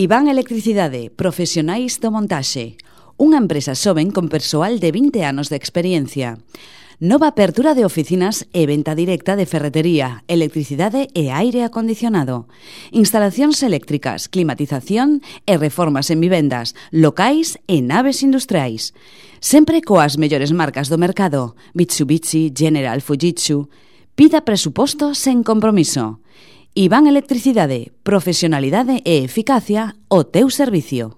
Iván Electricidade, profesionais do montaxe. Unha empresa xoven con persoal de 20 anos de experiencia. Nova apertura de oficinas e venta directa de ferretería, electricidade e aire acondicionado. Instalacións eléctricas, climatización e reformas en vivendas, locais e naves industriais. Sempre coas mellores marcas do mercado, Mitsubishi, General, Fujitsu. Pida presuposto sen compromiso. Iván Electricidade, profesionalidade e eficacia ao teu servicio.